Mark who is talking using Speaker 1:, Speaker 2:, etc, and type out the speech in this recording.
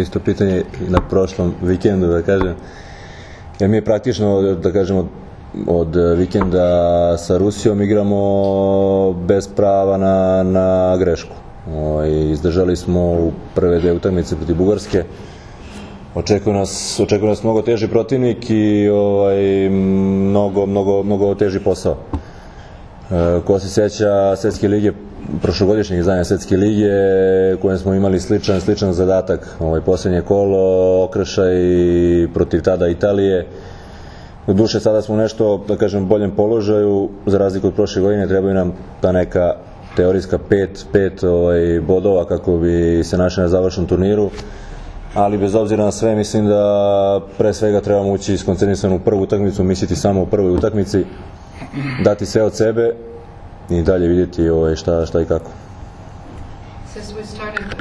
Speaker 1: Isto pitanje na prošlom vikendu, da kažem. Jer mi je praktično, da kažemo, od vikenda sa Rusijom igramo bez prava na grešku. Izdržali smo u prve dve utakmice protiv Bugarske. Očekuje nas mnogo teži protivnik i mnogo teži posao. Ko se sjeća Svetske lige, prošlogodišnjeg izdanja Svetske lige, u kojem smo imali sličan zadatak, posljednje kolo, okršaj protiv tada Italije. Doduše, sada smo nešto, da kažem, boljem položaju, za razliku od prošle godine, trebaju nam ta neka teorijska pet bodova kako bi se našli na završnom turniru, ali bez obzira na sve mislim da pre svega trebamo ući iskoncentrisan u prvu utakmicu, misliti samo u prvoj utakmici, dati sve od sebe i dalje vidjeti šta i kako.